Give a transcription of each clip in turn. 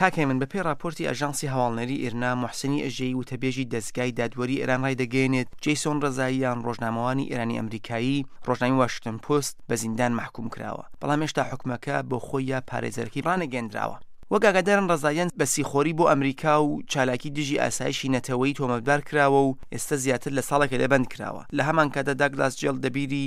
کاک هێمن، بەپێی ڕاپۆرتی ئاژانسی هەواڵنێری ئیرنا، موحسنی ئەژەیی وتەبێژی دەزگای دادوەری ئێران ڕایدەگەیەنێت، جەیسۆن ڕەزاییان ڕۆژنامەوانی ئێرانی ئەمریکایی ڕۆژنامەی واشنتۆن پۆست بە زیندان مەحکوم کراوە، بەڵام هێشتا حوکمەکە بۆ خۆی یا پارێزەرەکەی ڕانەگەیەندراوە. وەک ئاگادارن ڕەزاییان بە سیخۆری بۆ ئەمریکا و چالاکی دژی ئاسایشی نەتەوەیی تۆمەتبار کراوە و ئێستا زیاتر لە ساڵێکە لە بەند کراوە. لە هەمانکاتدا داگلاس جێڵ دەبیری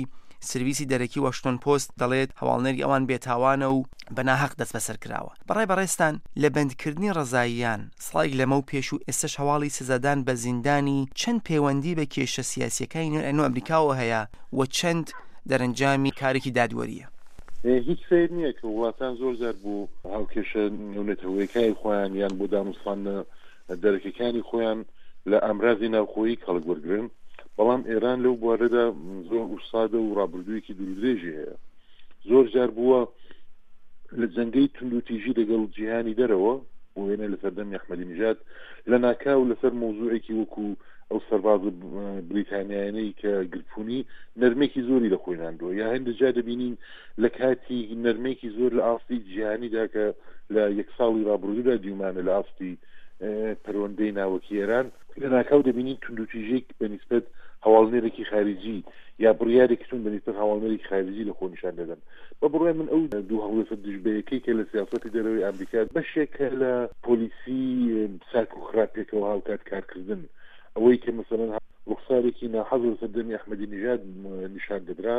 سرویسی دەرەکی واشنتۆن پۆست دەڵێت هەواڵنێری ئەوان بێتاوانە و بە ناهەق دەستبەسەر کراوە. بەڕای بەڕێزتان لە بەندکردنی ڕەزاییان ساڵێک لەمەو پێش و ئێستەش هەواڵی سزادان بە زیندانی چەند پەیوەندی بە کێشە سیاسییەکانی نێوان ئەمریکاوە هەیە و چەند دەرەنجامی کارێکی دادوەرییە؟ هیچ سەیر نییە کە وڵاتان زۆر جار بۆ هاوکێشە نێونەتەوەیەکانی خۆیان یان بۆ دانوستاندنە دەرەکیەکانی خۆیان لە ئامرازی ناوخۆیی کەڵک وەرگرن، بەڵام ئێران لەو بوارەدا زۆر ئوستادە و ڕابردوویەکی دوورودرێژی هەیە. زۆر جار بووە لە جەنگەی توندوتیژی لەگەڵ جیهانی دەرەوە، بۆ وێنە لە سەردەمی ئەحمەدی نژاد لە ناکاو لەسەر مەوزوعێکی وەکو ئەو سەربازە بریتانیایانەی کە گرتبوونی نەرمێکی زۆری لە خۆی ناندووە، یا هەندێک جار دەبینین لە کاتی نەرمێکی زۆر لە ئاستی جیهانیدا کە لە یەک ساڵی ڕابردوودا دیومانە لە ئاستی پەروەندەی ناوەکی ئێران، لە ناکاو دەبینین توندوتیژێک بە نیسبەت هەواڵنێرێکی خاریجی یا بڕیارێکی توند بە نیسبەت هەواڵنێرێکی خاریجی لە خۆ نیشان دەدەن. بە بڕوای من ئەو دوو هەڵوێستە دژبەیەکەی کە لە سیاسەتی دەرەوەی ئامریکا بەشێکە لە پۆلیسی چاک و خراپ پێکەوە هاوکات کارکردن، ئەوەی کە مەسەلەن ڕوخسارێکی ناحەز لە سەردەمی ئەحمەدی نژاد نیشان دەدرا،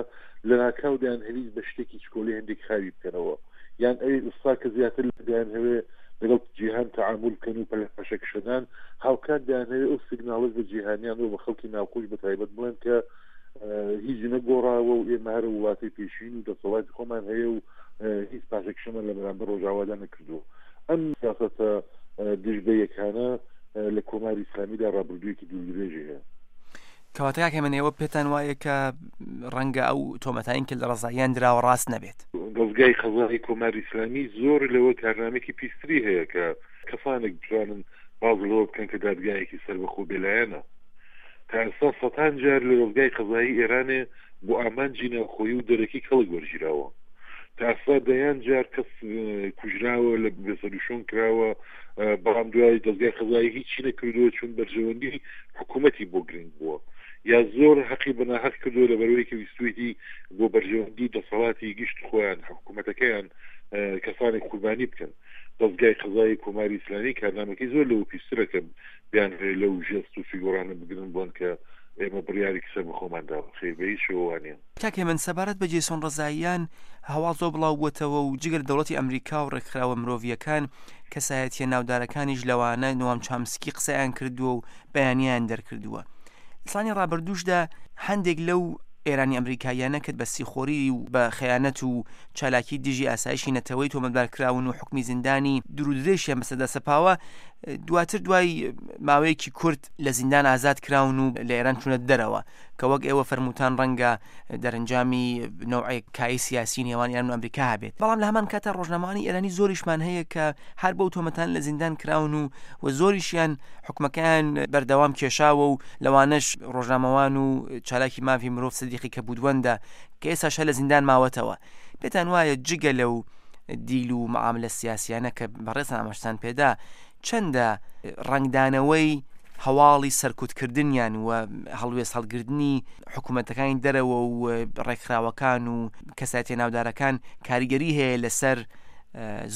لەناکاو دەیانهەویست بە شتێکی چکۆلەی هەندێک خاوی بکەنەوە، یان ئەوی ئێستا کە زیاتر دەیانهەوێ لەگەڵ جیهان تەعامول بکەن و پاشەکشەدان، هاوکات دەیانهەوێ ئەو سیگناڵەش بە جیهانیان و بە خەڵکی ناوخۆش بە تایبەت بڵێن کە هیچ نەگۆڕاوە و ئێمە هەر وڵاتی پێشین و دەسەڵاتی خۆمان هەیە و هیچ پاشەکشەمان لە بەرامبەر ڕۆژاوادا نەکردووە. ئەم سیاسەتە دژ بە یەکانە لە کۆماری ئیسلامیدا ڕابردوویەکی دوورودرێژی هەیە. کەواتە کاک هێمن ئێوە پێتان وایە کە ڕەنگە ئەو تۆمەتانەی کە لە ڕەزاییان دراوە ڕاست نەبێت؟ دەزگای قەزایی کۆماری ئیسلامی زۆر لەوە کارنامەیەکی پیستری هەیە کە کەسانێک بتوانن باس لەوە بکەن کە دادگایەکی سەربەخۆ بێلایەنە. تا ئێستا سەتان جار لە دەزگای قەزایی ئێرانێ بۆ ئامانجی ناوخۆیی و دەرەکی کەڵک وەرگیراوە. تا ئێستا دەیان جار کەس کوژراوە، لە بێسەروشوێن کراوە، بەڵام دوای دەزگای قەزایی هیچی نەکردووە چون بەرژەوەندی حکوومەتی بۆ گرنگ بووە یا زۆر هەقی بە ناهەق کردووە لەبەرئەوەی کە ویستوویەتی بۆ بەرژەوەندی دەسەڵاتی گشت خۆیان حکوومەتەکەیان کەسانێک قوربانی بکەن. دەزگای قەزایی کۆماری ئیسلامی کارنامەکەی زۆر لەوە پیسترە کە بیانهەوێ لەو ژێست و فیگۆرانە بگرن بڵێن کە ئێمە بڕیارێکی سەربەخۆمان داوە. خەیر بە هیچ شێوە وا نییە. کاک هێمن سەبارەت بە جەیسۆن ڕەزاییان هەواڵ زۆر بڵاو بووەتەوە و جگە لە دەوڵەتی ئەمریکا و ڕێکخراوە مرۆڤییەکان کەسایەتییە ناودارەکانیش لەوانە نوام چامسکی قسەیان کردووە و بەیانییان دەرکردووە. لە ساڵانی ڕابردووشدا هەندێک لەو ئێرانی ئەمریکاییانە کە بە سیخۆری و بە خەیانەت و چالاکی دژی ئاسایشی نەتەوەی تۆمەتبار کراون و حوکمی زیندانی دوورودرێژیان بەسەردا سەپاوە دواتر دوای ماوەیەکی کورت لە زیندان ئازاد کراون و لە ئێران چوونە دەرەوە کە وەک ئێوە فەرمووتان ڕەنگە دەرەنجامی نەوعێک کای سیاسی نێوان ئێران و ئەمریکا هەبێت بەڵام لە هەمان کاتا ڕۆژنامەوانی ئێرانی زۆریشمان هەیە کە هەر بەو تۆمەتان لە زیندان کراون و و زۆریشیان حکومەکەیان بەردەوام کێشاوە و لەوانەش ڕۆژنامەوان و چالاکی مافی مرۆڤ سدیقی کەبوودوەندە کە ئێستاش هەر لە زیندان ماوەتەوە پێتان وایە جگە لەو دیل و معاملە سیاسیانە کە بەڕێزان ئاماژتان پێدا چەندە ڕەنگدانەوەی هەواڵی سەرکوتکردنیان و هەڵوێست هەڵگرتنی حکوومەتەکانی دەرەوە و ڕێکخراوەکان و کەسایەتیە ناودارەکان کاریگەری هەیە لەسەر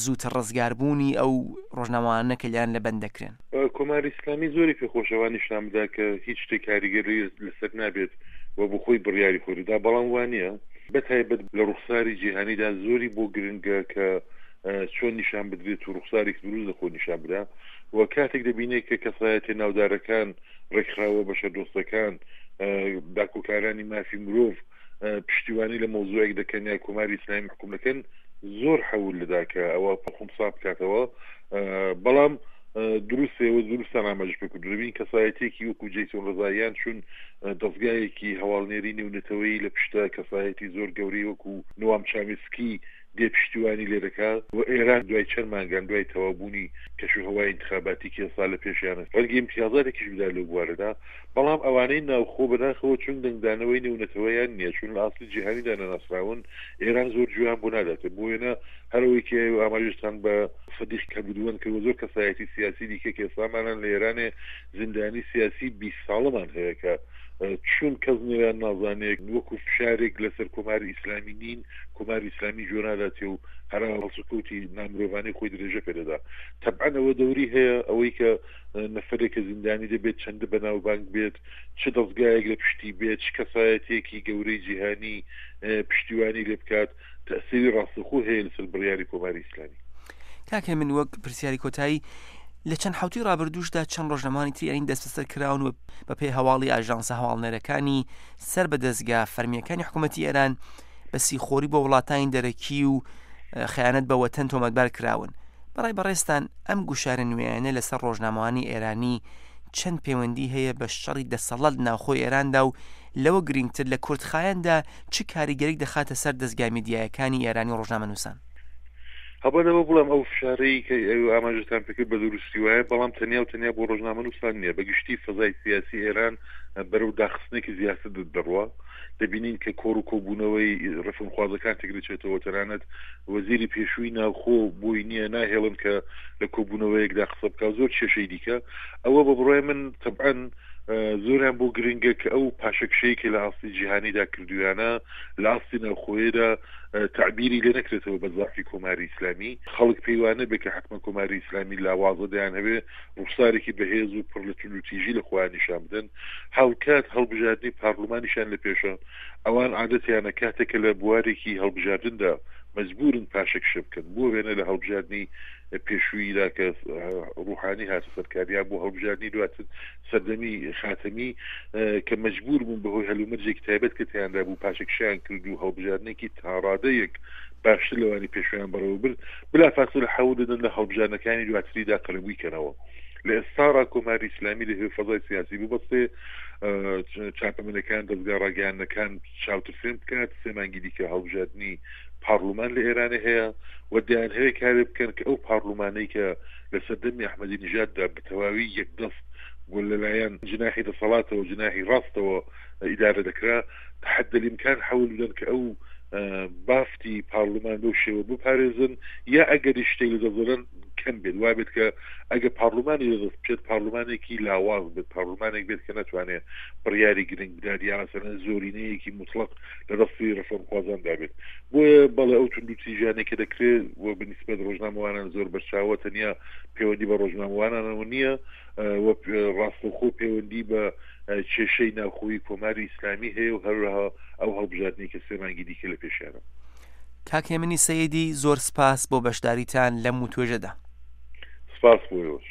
زووتر ڕزگاربوونی ئەو ڕۆژنامەوانە کە لێیان لە بەند دەکرێن؟ کۆماری ئیسلامی زۆری پێ خۆشە وا نیشان بدا کە هیچ شتێک کاریگەری لەسەر نابێت و بۆ خۆی بڕیاری خۆی دەدا، بەڵام وا نییە. بە تایبەت لە ڕوخساری جیهانیدا زۆری بۆ گرنگە کە چۆن نیشان بدرێت و ڕوخسارێکی دروست لە خۆی نیشان بدا و کاتێک دەبینێت کە کەسایەتیە ناودارەکان، ڕێکخراوە بەشەردۆستەکان، داکۆکارانی مافی مرۆڤ پشتیوانی لە مەوزوعێک دەکەن یا کۆماری ئیسلامی مەحکوم دەکەن زۆر حەول دەدا کە ئەوە خونسا بکاتەوە بەڵام دروستێ و دروستان ئاماژە پێ کردو دەبین کەسایەتێکی وەکو جەیسۆن ڕزاییان چون دەزگایەکی هەواڵنێری نێونەتەوەیی لە پشتە کەسایەتی زۆر گەورەی وەکو نوام چامیسکی. دێ پشتیوانی لێ دەکا و ئێران دوای چەند مانگان دوای تەواوبوونی کەشوهەوای ئینتخاباتی کە ئێستا لە پێشیانە ڕەنگە ئیمتیازاتێکیش بدا لەو بوارەدا بەڵام ئەوانەی ناوخۆ بەداخەوە چون دەنگدانەوەی نێونەتەوەیان نییە چون لە ئاستی جیهانیدا نەناسراون ئێران زۆر گوێیان بۆ ناداتێ بۆ وێنە هەر ئەوەی کە ئێوە ئاماژەتان بە سدیق کەبوودوەند کرد و زۆر کەسایەتی سیاسی دیکە کە ئێستامانان لە ئێرانێ زیندانی سیاسی 20 ساڵەمان هەیە کە چون کەس نێویان نازانێ وەکو فشارێک لەسەر کۆماری ئیسلامی نین کۆماری ئیسلامی گوێ ناداتێ و هەرا هەڵسوکەوتی نامرۆڤانەی خۆی درێژە پێ دەدا تەبعەن ئەوە دەوری هەیە ئەوەی کە نەفەرێک کە زیندانی دەبێت چەندە بەناوبانگ بێت چ دەزگایەک لە پشتی بێت چ کەسایەتیەکی گەورەی جیهانی پشتیوانی لێ بکات تەئسیری ڕاستەوخۆ هەیە لەسەر بڕیاری کۆماری ئیسلامی. کاک هێمن وەک پرسیاری کۆتایی لە چەند حوتی ڕابردووشدا چەند ڕۆژنامەوانی تری ئەرین دەستبەسەر کراون و بەپێی هەواڵی ئاژانسە هەواڵنێرەکانی سەر بە دەزگا فەرمییەکانی حکوومەتی ئێران بە سیخۆری بۆ وڵاتانی دەرەکی و خیانەت بە وەتەن تۆمەتبار کراون بەڕای بەڕێزتان ئەم گوشارە نوێیانە لەسەر ڕۆژنامەوانی ئێرانی چەند پەیوەندی هەیە بە شەڕی دەسەڵات ناوخۆی ئێراندا و لەوە گرنگتر لە کورتخایەندا چ کاریگەریک دەخاتە سەر دەزگا میدیایەکانی ئێرانی و ڕۆژنامەنووسان؟ هەڵبەت ئەوە بڵێم ئەو فشارەی کە ئێوە ئاماژەتان پێکرد بە دروستی وایە، بەڵام تەنیا و تەنیا بۆ ڕۆژنامەنووسان نییە، بە گشتی فەزای سیاسی ئێران بەرەو داخستنێکی زیاتر دەڕوا. دەبینین کە کۆڕ و کۆبوونەوەی ڕێفۆرمخوازەکان تێکدەچێتەوە، تەنانەت وەزیری پێشووی ناوخۆ بۆی نییە ناهێڵن کە لە کۆبوونەوەیەکدا قسە بکا و زۆر کێشەی دیکە. ئەوە بە بڕوای من تەبعەن زۆریان بۆ گرنگە کە ئەو پاشەکشەی کە لە ئاستی جیهانیدا کردوویانە لە ئاستی ناوخۆیەدا تەعبیری لێ نەکرێتەوە بە زەعفی کۆماری ئیسلامی، خەڵک پێی وا نەبێ کە حەتمەن کۆماری ئیسلامی لاوازە دەیانهەوێ ڕوخسارێکی بەهێز و پڕ لە توندوتیژی لە خۆیان نیشان بدەن، هاوکات هەڵبژاردنی پارلمانیشیان لە پێشە، ئەوان عادەتیانە کاتێک کە لە بوارێکی هەڵبژاردندا مەجبوورن پاشەکشە بکەن، بۆ وێنە لە هەڵبژاردنی پێشوویدا کە ڕوحانی هاتە سەر کار یا بۆ هەڵبژاردنی دواتر سەردەمی خاتەمی کە مەجبوور بوون بەهۆی هەلومەرجێکی تایبەت کە تیاندا بوو پاشەکشەیان کرد و هەڵبژاردنێکی تاڕادەیەک باشتر لەوانی پێشویان بەڕێوە برد بلافاسلە حەول دەدەن لە هەڵبژاردنەکانی دواتریدا قەرەبووی کەنەوە. لە ئێستاڕا کۆماری ئیسلامی دەیهەوێ فەزای سیاسی ببەستێ، چاپەمەنەکان، دەزگا ڕاگەیاندنەکان چاوترسێن بکات، سێ مانگی دیکە هەڵبژاردنی پارلمان لە ئێرانێ هەیە و دەیانهەوێ کارێ بکەن کە ئەو پارلمانەی کە لە سەردەمی ئەحمەدی نژاددا بە تەواوی یەکدەست و لەلایەن جناحی دەسەڵاتەوە، جناحی ڕاستەوە ئیدارە دەکرا، حد الامکان حەول بدەن کە ئەو بافتی پارلمان بەو شێوە بپارێزن یا ئەگەریش شتێک لە دەست دەدەن کەم بێت وا بێت کە ئەگە پارلمانی لە دەست بچێت پارلمانێکی لاواز بێت پارلمانێک بێت کە نەتوانێت بڕیاری گرنگ بدات یا مەسەلەن زۆرینەیەکی موتڵەق لە دەستی ڕێفۆرمخوازاندا بێت بۆیە بەڵێ ئەو توندوتیژانەی کە دەکرێت و بە نیسبەت ڕۆژنامەوانان زۆر بەرچاوە تەنیا پەیوەندی بە ڕۆژنامەوانانەوە نییە و ڕاستەوخۆ پەیوەندی بە کێشەی ناوخۆیی کۆماری ئیسلامی هەیە و هەروەها ئەو هەڵبژاردنەی کە سێ مانگی دیکە لە پێشیانە. کاک هێمنی سەیدی زۆر سپاس بۆ بەشداریتان لەم وتوێژەدا. سپاس بۆ ئێوەش.